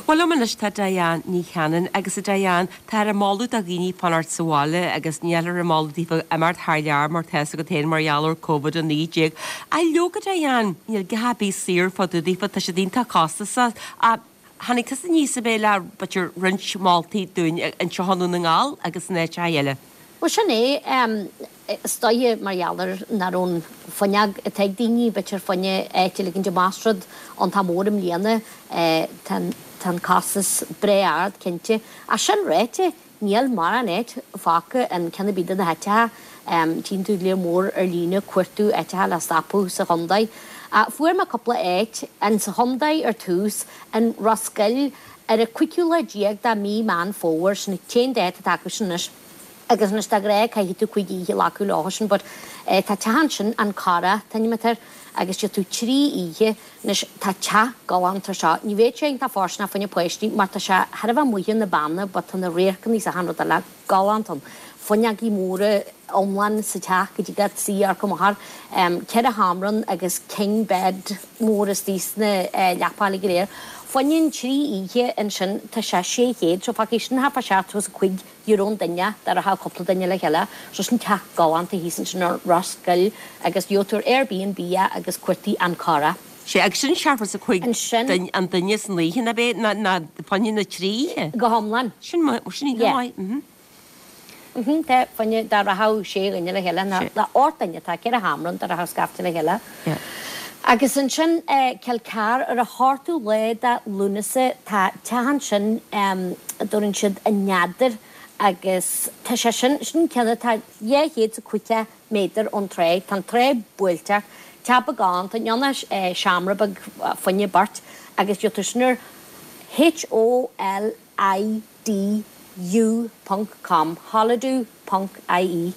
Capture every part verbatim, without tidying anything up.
Bhuel liom anois tá Diane Ní Chanainn agus a Diane tá ar moladh do dhaoine fanacht sa bhaile agus níl ar moladh daofa imeacht thar lear mar tá go féin mar gheall ar Covid a naoi déag. A leoga Diane níl gá bí saor fá daofa tá sé iontach costasach tháinig tusa aníos a bheith le b'fhéidir roinnt moltaí dúinn anseo i nDún na nGall agus in áit eile. Well sin é is dóiche mar gheall ar nach raibh an fuinneog atá ag daoine b'fhéidir fá choinne áit a ligint amach rud iontach mór i mbliana tá tá an costas breá ard cinnte. Ach sin ráite níl mórán áit fágtha in ceann ar bith de na háiteacha tchíonn tú léar mór ar líne cuartú áiteacha le stopadh sa chontae. Fuair mé cúpla áit an sa chontae ar tús an Ros Goill ar an cúigiú lá déag de mí Meán Fómhair sin cén dáta atá acu sin anois. agus anois de ghnáth caithfidh tú cúig oíche a ghlacadh leo sin, but eh, tá teach ansin an Cara an t-ainm atá air agus gheobhaidh tú trí oíche anois tá teach galánta seo. Ní bheidh sé iontach fóirsteanach fá choinne páistí mar tá sé thar a bheith amuigh na banna, but tá na radharcanna is achan rud eile galánta ann. Fuinneogaí móra iomlán sa teach go dtí go suí go maith um, ceithre sheomra ann agus king bed mór istigh sna uh, leapacha go léir. Fá choinne trí oíche ansin tá sé sé chéad, so fágfaidh sin thart fá seachtó is a cúig euro an duine dá rachadh cúpla duine le chéile, so sin teach galánta thíos ansin ar Ros Goill agus gheobhaidh tú ar Airbnb agus cuartaigh an Cara. Sé agus sin seachtó is a cúig Ansin an duine san oíche na bé na na fá choinne na trí oíche. go hiomlán. Sin sin Yeah. maith. mhm. Mhm, Tá fá choinne dá rachadh sé dhuine le chéile na Sé. le ocht duine tá ceithre sheomra ann dá rachadh scaifte le chéile. Yeah. Agus ansin eh, Kilcar ar an ochtú lá de Lúnasa tá teach ansin um, dúrann siad an neadar agus tá sé sin sin ceann tá dhá chéad is caoga méadar ón trá Tá an trá buailte teach beag tá ionann eh, seomra beag fá choinne beirt agus gheobhaidh tú sin ar H O L I D U ponc com holidu.ie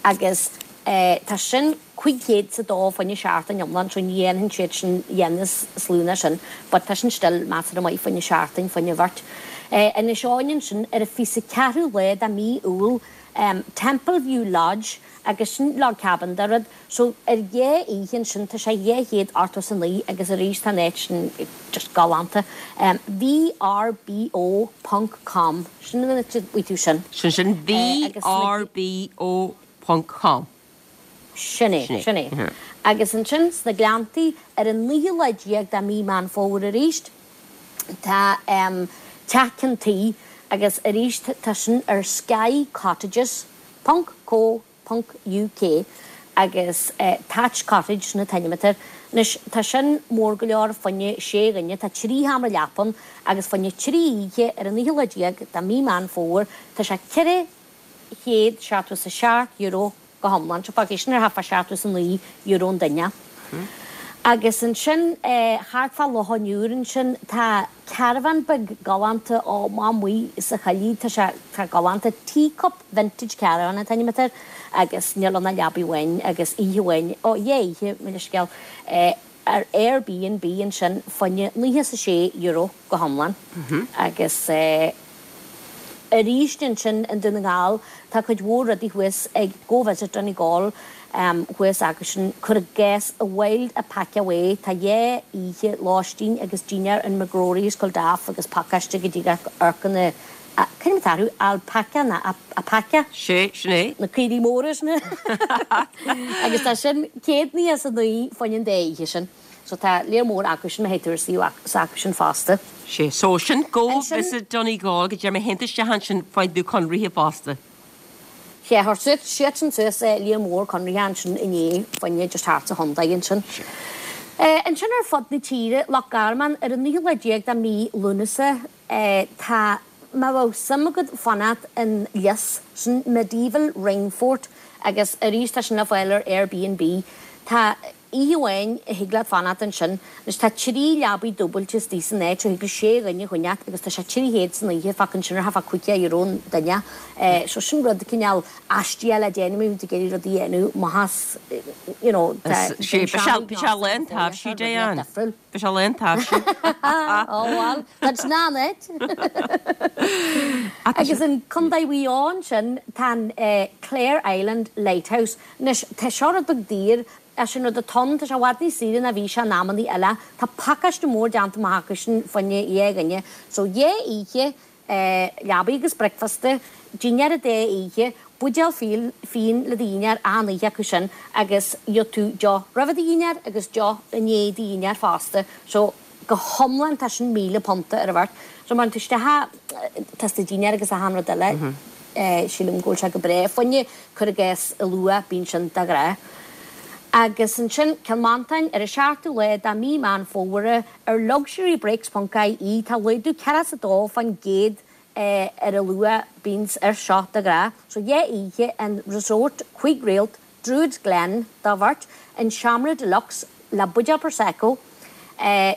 agus eh, tá sin cúig chéad sa dó fá choinne seachtain iomlán so ní dhéanann siad sin dhéanas slúna sin, but tá sin still measartha maith fá choinne seachtain fá choinne beirt. Eh, Inis Eoghain sin ar an fiche ceathrú lá de mí Iúil um, Temple View Lodge agus sin log cabin de rud, so ar dhá oíche sin tá sé dhá chéad ochtó is a naoi agus arís tá net sin just galánta. Um, VRBO ponc com sin an tú sin. Sin sin Eh, agus na- VRBO ponc com. Sin é Sin é, sin é. mhm. Agus ansin sna Gleanntaí ar an naoú lá déag de mí Meán Fómhair arís tá um, teach ceann tuí agus arís tá sin ar Sky Cottages ponc co ponc UK agus uh, Thatch Cottage an t-ainm atá air. Anois tá sin mór go leor fá choinne sé dhuine tá trí sheomra leapa ann agus fá choinne trí oíche ar an naoú lá déag de mí Meán Fómhair tá sé ceithre chéad seachtó is a seacht euro go hiomlán, so fágfaidh sin ar thart fá seachtó is a naoi euro an duine. Agus ansin eh, thart fá Loch an Iúir ansin tá caravan beag galánta ó amuigh sa choillidh tá sé tá galánta teacup vintage caravan an t-ainm atá air agus níl ann ach leabaidh amháin agus oíche amháin ó dhá oíche mo leithscéal eh, ar Airbnb ansin fá choinne nócha is a sé euro go hiomlán agus eh, arís ansin in Dún na nGall tá cuid mhór rudaí thuas ag Go Visit Donegal um, thuas agus sin chur gas a wild alpaca way tá dhá oíche lóistín agus dinnéar in McGrory's Culdaff agus pacáiste go dtí orcanna cén tarú alpaca na alpaca Sé sin é. na caoirigh móra na agus tá sin céad nócha a naoi fá choinne an dá oíche sin. So tá léar mór acu sin hétar acu sin fosta. Sé so sin Go Ansin- Visit Donegal go deir mé hénta se han sin fáid conríthe fosta. Sé thar siad sin suas líon mór conraithe ansin inné fá choinne just thart sa chontae ansin. Eh, Ansin ar fud na tíre Loch Garman ar an naoú lá déag de mí Lúnasa eh, tá má bhfuil suim agat fanacht in Lios sin medieval ringfort agus arís tá sin le fáil ar Airbnb. Tá oíche amháin a thig leat fanacht ansin, Anois tá trí leabaidh dúbailte istigh san áit thig le sé dhuine choinneáil agus tá sé trí chéad san oíche fágann sin ar thart fá caoga euro an duine. Eh, so sin rud cineál aisteach le déanamh tú ag iarraidh rudaí a dhéanamh mahas you know, Sé sé le taimhsí Diane. Be sé le taimhsí. Ó well, Tá náid. Agus in Contae Mhaigh Eo ansin tá eh, Clare Island Lighthouse. Anois tá seo beag daor Is sin rud atá ann, tá sé i bhfad níos saoire ná bhí sé in amannaí eile. Tá pacáiste mór déanta amach acu sin fá choinne dhá dhuine. So dhá oíche, leabaidh agus bricfeasta, dinnéar an dá oíche, buidéal fíon le do dhinnéar achan oíche acu sin agus gheobhaidh tú deoch roimhe do dhinnéar agus deoch i ndiaidh do dhinnéar fosta. So go hiomlán tá sin míle punta ar an bheirt. So má théann tú isteach, tá do dhinnéar agus achan rud eile. Sílim go bhfuil sé go breá. Fá choinne, cuir i gcás, a luath, bíonn sin de ghnáth. Agus ansin, Cill Mhantáin, ar an seachtú lá de mí Meán Fómhair, ar luxurybreaks ponc ie, tá laghdú ceathracha is a dó fán gcéad ar an luach bíonns air seo de ghnáth. So dhá oíche in Resort cúig réalt Druids Glen do bheirt, in seomra deluxe le buidéal Prosecco.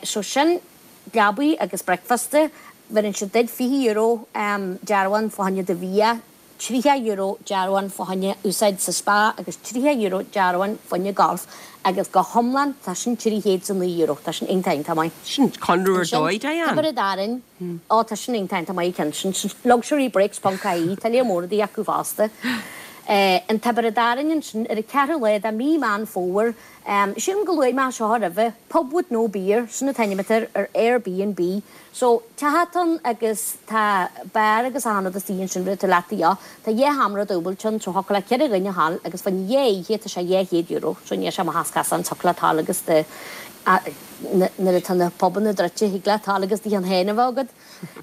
So sin leabaidh agus bricfeasta. Bheireann siad duit fiche euro dearbhán fá choinne do bhia, tríocha euro dearbhán fá choinne úsáid sa spa agus tríocha euro dearbhán fá choinne golf agus go hiomlán tá sin trí chéad is a naoi euro. Tá sin iontach iontach maith. Sin conradh ar dóigh, Diane. Tiobraid Árann, Ó tá sin iontach iontach maith cinnte. Sin luxurybreaks ponc ie, tá léar mór rudaí acu fosta. In Tiobraid Árann ansin ar an ceathrú lá de mí Meán Fómhair, sílim go luaigh mé seo roimhe, Pub with no beer, sin an t-ainm atá air ar Airbnb. So, teach atá ann agus tá beár agus achan rud istigh ansin rud atá leat a dhíth. Tá dhá sheomra dúbailte ann, so thiocfadh le ceithre dhuine a ghabháil agus fá choinne dhá oíche tá sé dhá chéad euro. So níl sé amach as casán, thiocfadh leat a ghabháil agus do, nuair atá na pubanna druidte, thig leat a ghabháil agus do cheann féin a bheith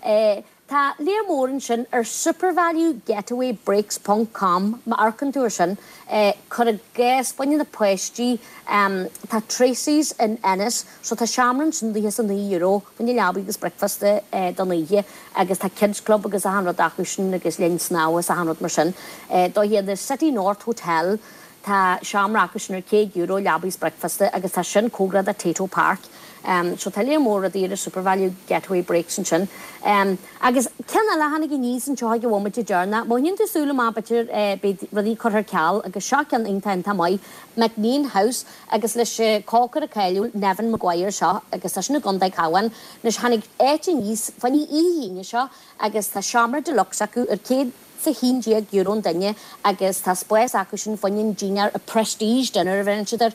agat. Tá léar mór ansin ar SuperValu Getaway Breaks ponc com má amharcann tú ar sin. Cuir i gcás, fá choinne na páistí, tá Tracey's in Ennis so tá seomra ansin daichead is a naoi euro fá choinne leabaidh agus bricfeasta don oíche agus tá kids club agus achan rud acu sin agus linn snámha is achan rud mar sin. Dóigh the City North Hotel Tá seomra acu sin ar céad euro, leabaidh is bricfeasta, agus tá sin cóngarach do Tayto Park. So tá léar mór rudaí ar an SuperValu Getaway Breaks ansin. Agus ceann eile a tháinig aníos anseo ag an bhomaite deireanach, má shíneann tú súil amach b'fhéidir beidh rudaí curtha ar ceal agus seo ceann iontach iontach maith, MacNean House agus leis an cócaire cáiliúil Neven Maguire seo agus tá sin i gContae Cabhán. Anois tháinig áit aníos fá choinne oíche Aoine seo agus tá seomra deluxe acu ar céad is a haon déag euro an duine agus tá spás acu sin fá choinne an dinnéar, a prestige dinner a bheireann siad air,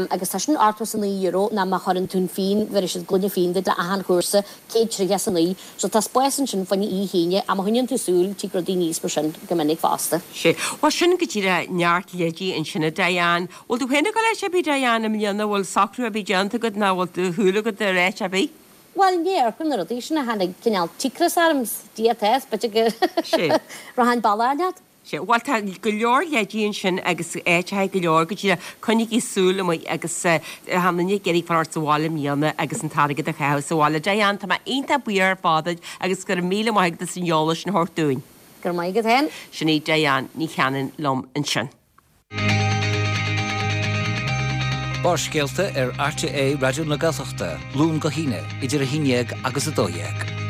agus tá sin ochtó is a naoi euro nó má chuireann tú an fíon, bheirfidh siad gloine fíon duit le achan chúrsa, céad tríocha is a naoi. So tá spás ansin fá choinne oíche Aoine ach má choinníonn tú súil, tig rudaí aníos mar sin go minic fosta. Sea. Bhuel sin go díreach neart leidí ansin a Diane. Bhfuil tú féin ag dul áit ar bith Diane i mbliana, bhfuil socrú ar bith déanta agat nó bhfuil do shúil agat ar áit ar bith? Bhuel, ní amharcaim na rudaí sin a tháinig cineál cíocras orm, Dia atá, b'fhéidir go rachainn bealach leat. Sea, bhuel tá go leor leidí ansin agus áiteacha go leor go díreach, coinnigí súil amuigh agus achan duine ag iarraidh fanacht sa bhaile i mbliana agus an t-airgead a chaitheamh sa bhaile. Diane, tá mé iontach buíoch ar fad duit agus go raibh míle maith agat as an eolas sin a thabhairt dúinn. Go raibh maith agat féin. Sin í Diane Ní Chanainn liom ansin. Barrscéalta ar RTÉ Raidió na Gaeltachta, Luan go hAoine, idir a haon dhéag agus a dó dhéag.